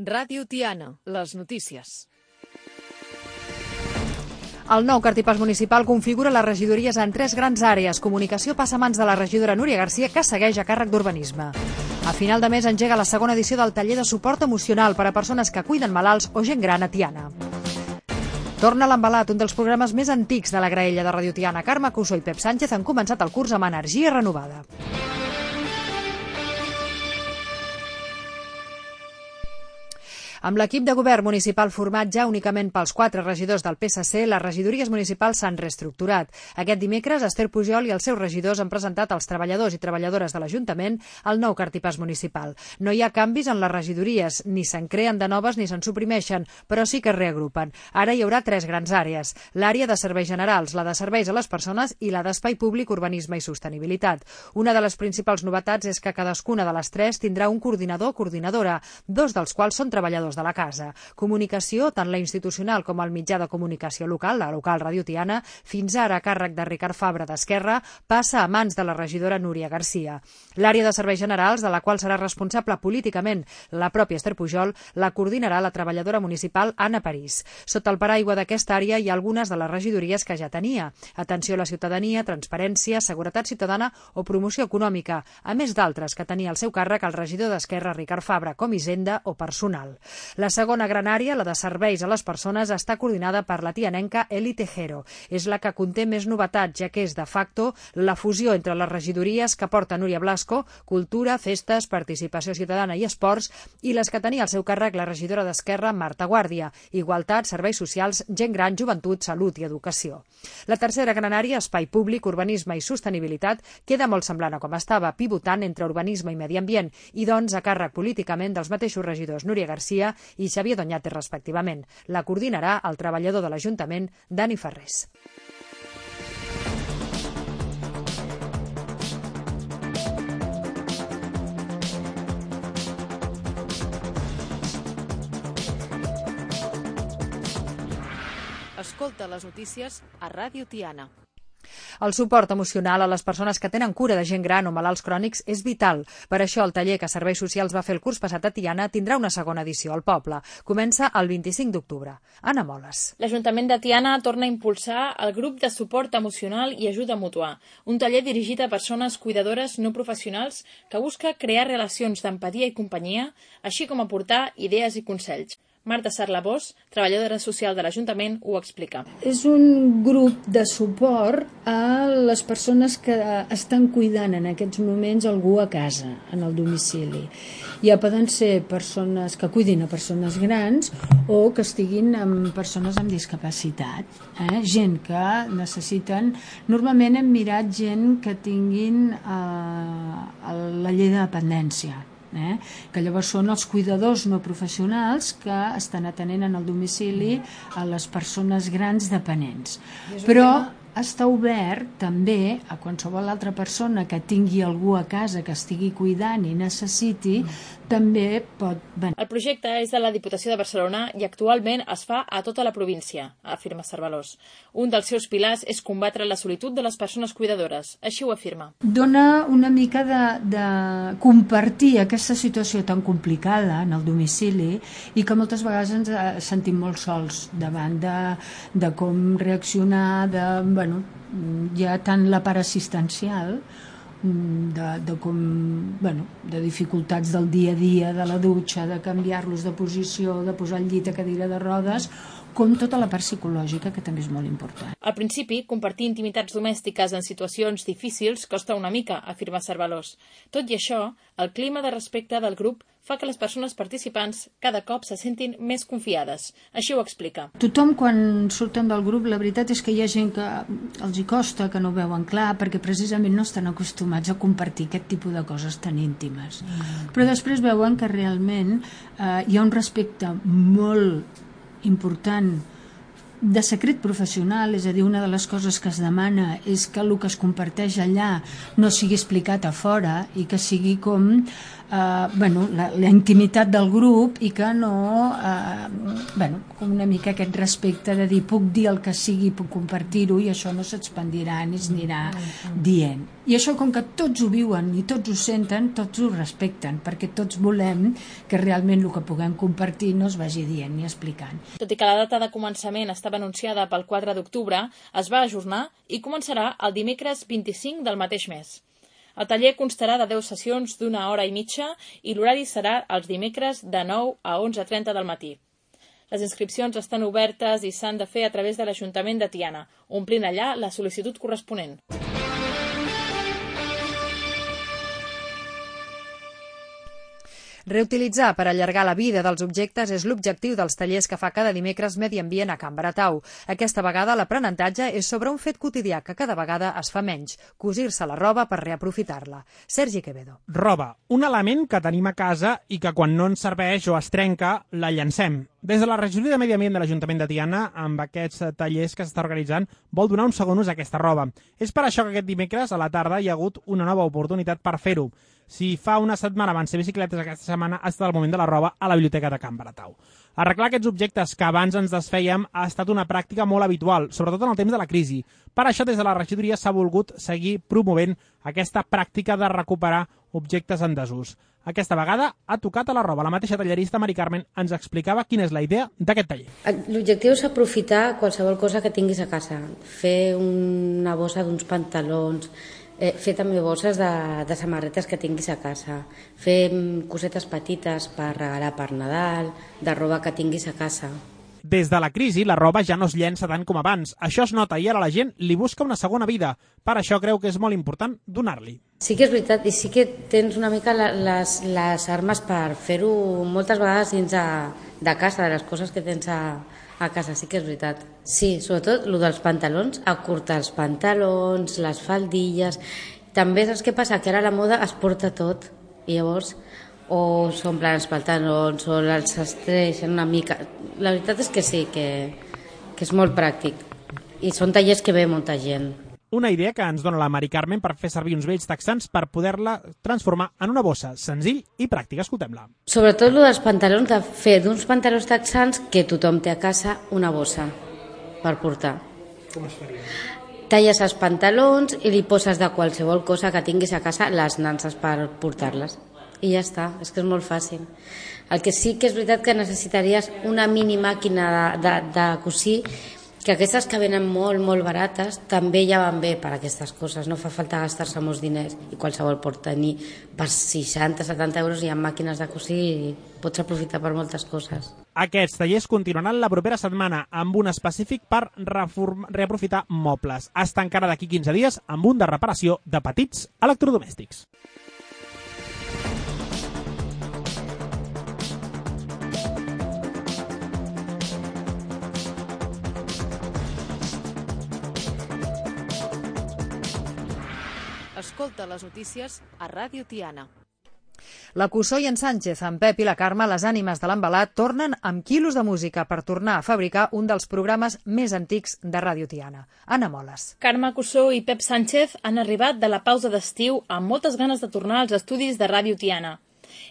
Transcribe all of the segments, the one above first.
Ràdio Tiana, les notícies. El nou cartipàs municipal configura les regidories en 3 grans àrees. Comunicació passa a mans de la regidora Núria Garcia, que segueix a càrrec d'Urbanisme. A final de mes engega la segona edició del taller de suport emocional per a persones que cuiden malalts o gent gran a Tiana. Torna l'Embalat, un dels programes més antics de la graella de Ràdio Tiana. Carme Cussó i Pep Sánchez han començat el curs amb energia renovada. Amb l'equip de govern municipal format ja únicament pels 4 regidors del PSC, les regidories municipals s'han reestructurat. Aquest dimecres, Esther Pujol i els seus regidors han presentat als treballadors i treballadores de l'Ajuntament el nou cartipàs municipal. No hi ha canvis en les regidories, ni se'n creen de noves ni se'n suprimeixen, però sí que es reagrupen. Ara hi haurà 3 grans àrees: l'àrea de serveis generals, la de serveis a les persones i la d'espai públic, urbanisme i sostenibilitat. Una de les principals novetats és que cadascuna de les 3 tindrà un coordinador o coordinadora, 2 dels quals són treballadors de la casa. Comunicació, tant la institucional com el mitjà de comunicació local, la local Ràdio Tiana, fins ara a càrrec de Ricard Fabra d'Esquerra, passa a mans de la regidora Núria Garcia. L'àrea de serveis generals, de la qual serà responsable políticament la pròpia Esther Pujol, la coordinarà la treballadora municipal Anna París. Sota el paraigua d'aquesta àrea hi ha algunes de les regidories que ja tenia: atenció a la ciutadania, transparència, seguretat ciutadana o promoció econòmica, a més d'altres que tenia al seu càrrec el regidor d'Esquerra Ricard Fabra, com Hisenda o personal. La segona gran àrea, la de serveis a les persones, està coordinada per la tianenca Eli Tejero. És la que conté més novetats, ja que és de facto la fusió entre les regidories que porta Núria Blasco, cultura, festes, participació ciutadana i esports, i les que tenia al seu càrrec la regidora d'Esquerra, Marta Guàrdia: igualtat, serveis socials, gent gran, joventut, salut i educació. La tercera gran àrea, espai públic, urbanisme i sostenibilitat, queda molt semblant a com estava, pivotant entre urbanisme i medi ambient, i doncs a càrrec políticament dels mateixos regidors Núria Garcia i Xavier Doñate, respectivament. La coordinarà el treballador de l'Ajuntament, Dani Ferrés. Escolta les notícies a Ràdio Tiana. El suport emocional a les persones que tenen cura de gent gran o malalts crònics és vital. Per això el taller que Serveis Socials va fer el curs passat a Tiana tindrà una segona edició al poble. Comença el 25 d'octubre. Anna Moles. L'Ajuntament de Tiana torna a impulsar el grup de suport emocional i ajuda mútua, un taller dirigit a persones cuidadores no professionals que busca crear relacions d'empatia i companyia, així com aportar idees i consells. Marta Sarlabós, treballadora social de l'Ajuntament, ho explica. És un grup de suport a les persones que estan cuidant en aquests moments algú a casa, en el domicili. Ja poden ser persones que cuidin a persones grans o que estiguin amb persones amb discapacitat. Gent que necessiten... Normalment hem mirat gent que tinguin la llei de dependència, que llavors són els cuidadors no professionals que estan atenent en el domicili a les persones grans dependents. Però està obert també a qualsevol altra persona que tingui algú a casa que estigui cuidant i necessiti, també pot venir. El projecte és de la Diputació de Barcelona i actualment es fa a tota la província, afirma Cervalós. Un dels seus pilars és combatre la solitud de les persones cuidadores, així ho afirma. Dona una mica de compartir aquesta situació tan complicada en el domicili i que moltes vegades ens sentim molt sols davant de com reaccionar, hi ha tant la part assistencial de dificultats del dia a dia, de la dutxa, de canviar-los de posició, de posar el llit a cadira de rodes, com tota la part psicològica, que també és molt important. Al principi, compartir intimitats domèstiques en situacions difícils costa una mica, afirma Cervalós. Tot i això, el clima de respecte del grup fa que les persones participants cada cop se sentin més confiades. Així ho explica. Tothom, quan surten del grup, la veritat és que hi ha gent que els hi costa, que no ho veuen clar, perquè precisament no estan acostumats a compartir aquest tipus de coses tan íntimes. Però després veuen que realment hi ha un respecte molt important de secret professional, és a dir, una de les coses que es demana és que el que es comparteix allà no sigui explicat a fora i que sigui com la intimitat del grup i que no, com una mica aquest respecte de dir puc dir el que sigui, puc compartir-ho i això no s'expandirà ni es anirà dient. I això, com que tots ho viuen i tots ho senten, tots ho respecten, perquè tots volem que realment el que puguem compartir no es vagi dient ni explicant. Tot i que la data de començament estava anunciada pel 4 d'octubre, es va ajornar i començarà el dimecres 25 del mateix mes. El taller constarà de 10 sessions d'1 hora i mitja i l'horari serà els dimecres de 9 a 11:30 del matí. Les inscripcions estan obertes i s'han de fer a través de l'Ajuntament de Tiana, omplint allà la sol·licitud corresponent. Reutilitzar per allargar la vida dels objectes és l'objectiu dels tallers que fa cada dimecres Medi Ambient a Can Baratau. Aquesta vegada l'aprenentatge és sobre un fet quotidià que cada vegada es fa menys, cosir-se la roba per reaprofitar-la. Sergi Quevedo. Roba, un element que tenim a casa i que quan no ens serveix o es trenca, la llancem. Des de la regidoria de Medi Ambient de l'Ajuntament de Tiana, amb aquests tallers que s'està organitzant, vol donar un segon ús a aquesta roba. És per això que aquest dimecres a la tarda hi ha hagut una nova oportunitat per fer-ho. Si fa una setmana van ser bicicletes, aquesta setmana ha estat el moment de la roba a la biblioteca de Can Baratau. Arreglar aquests objectes que abans ens desfèiem ha estat una pràctica molt habitual, sobretot en el temps de la crisi. Per això, des de la regidoria s'ha volgut seguir promovent aquesta pràctica de recuperar objectes en desús. Aquesta vegada ha tocat a la roba. La mateixa tallerista Mari Carmen ens explicava quina és la idea d'aquest taller. L'objectiu és aprofitar qualsevol cosa que tinguis a casa. Fer una bossa d'uns pantalons, fer també bosses de samarretes que tinguis a casa, fer cosetes petites per regalar per Nadal, de roba que tinguis a casa. Des de la crisi, la roba ja no es llença tant com abans. Això es nota i ara la gent li busca una segona vida. Per això creu que és molt important donar-li. Sí que és veritat, i sí que tens una mica les armes per fer-ho moltes vegades dins de casa, de les coses que tens a casa, sí que és veritat. Sí, sobretot el dels pantalons, acurtar els pantalons, les faldilles. També saps què passa? Que ara la moda es porta tot i llavors o s'omplen els pantalons o els estreixen una mica. La veritat és que sí, que és molt pràctic i són tallers que ve molta gent. Una idea que ens dona la Mari Carmen per fer servir uns vells texans per poder-la transformar en una bossa, senzill i pràctica. Escoltem-la. Sobretot el dels pantalons, de fer d'uns pantalons texans que tothom té a casa una bossa per portar. Com es faria? Talles els pantalons i li poses de qualsevol cosa que tinguis a casa les nanses per portar-les. I ja està, és que és molt fàcil. El que sí que és veritat que necessitaries una mini màquina de cosir, que aquestes que venen molt, molt barates també ja van bé per a aquestes coses, no fa falta gastar-se molts diners i qualsevol pot tenir per 60-70 euros hi ha màquines de cosir i pots aprofitar per moltes coses. Aquests tallers continuaran la propera setmana amb un específic per reaprofitar mobles. Es tancarà d'aquí 15 dies amb un de reparació de petits electrodomèstics. Escolta les notícies a Ràdio Tiana. La Cussó i en Sánchez, en Pep i la Carme, les ànimes de l'embalat, tornen amb quilos de música per tornar a fabricar un dels programes més antics de Ràdio Tiana. Anna Moles. Carme Cussó i Pep Sánchez han arribat de la pausa d'estiu amb moltes ganes de tornar als estudis de Ràdio Tiana.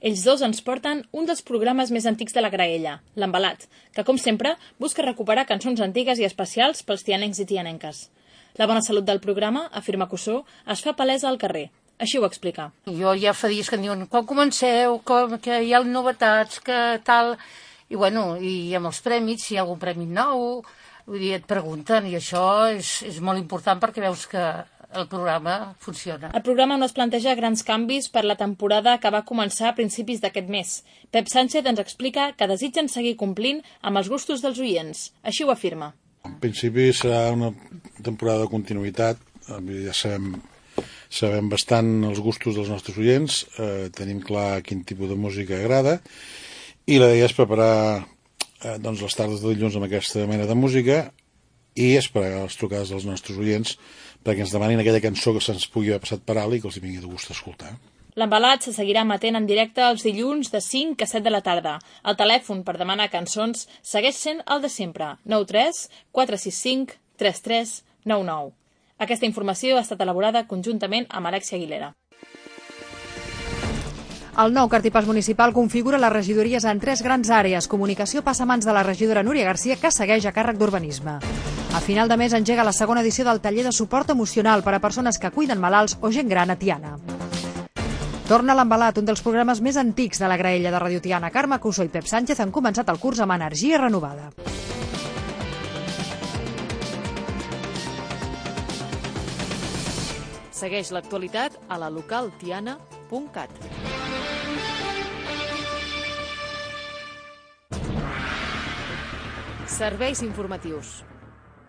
Ells dos ens porten un dels programes més antics de la graella, l'Embalat, que, com sempre, busca recuperar cançons antigues i especials pels tianencs i tianenques. La bona salut del programa, afirma Cussó, es fa palesa al carrer. Així ho explica. Jo ja fa dies que em diuen, quan comenceu, que hi ha novetats, que tal... I bueno, i amb els prèmits, si hi ha algun premi nou, vull dir, et pregunten, i això és molt important perquè veus que el programa funciona. El programa no es planteja grans canvis per la temporada que va començar a principis d'aquest mes. Pep Sánchez ens explica que desitgen seguir complint amb els gustos dels oients. Així ho afirma. En principi serà una temporada de continuïtat, ja sabem bastant els gustos dels nostres oients, tenim clar quin tipus de música agrada, i la idea és preparar les tardes de dilluns amb aquesta mena de música i esperar les trucades dels nostres oients perquè ens demanin aquella cançó que se'ns pugui haver passat per alt i que els vingui de gust escoltar. L'Embalat se seguirà emetent en directe els dilluns de 5 a 7 de la tarda. El telèfon per demanar cançons segueix sent el de sempre, 93 465 3399. Aquesta informació ha estat elaborada conjuntament amb Alexia Aguilera. El nou cartipàs municipal configura les regidories en 3 grans àrees. Comunicació passa a mans de la regidora Núria Garcia, que segueix a càrrec d'Urbanisme. A final de mes engega la segona edició del taller de suport emocional per a persones que cuiden malalts o gent gran a Tiana. Torna l'Embalat, un dels programes més antics de la graella de Radio Tiana. Carme Cussó i Pep Sánchez han començat el curs amb energia renovada. Segueix l'actualitat a la localtiana.cat. Serveis informatius.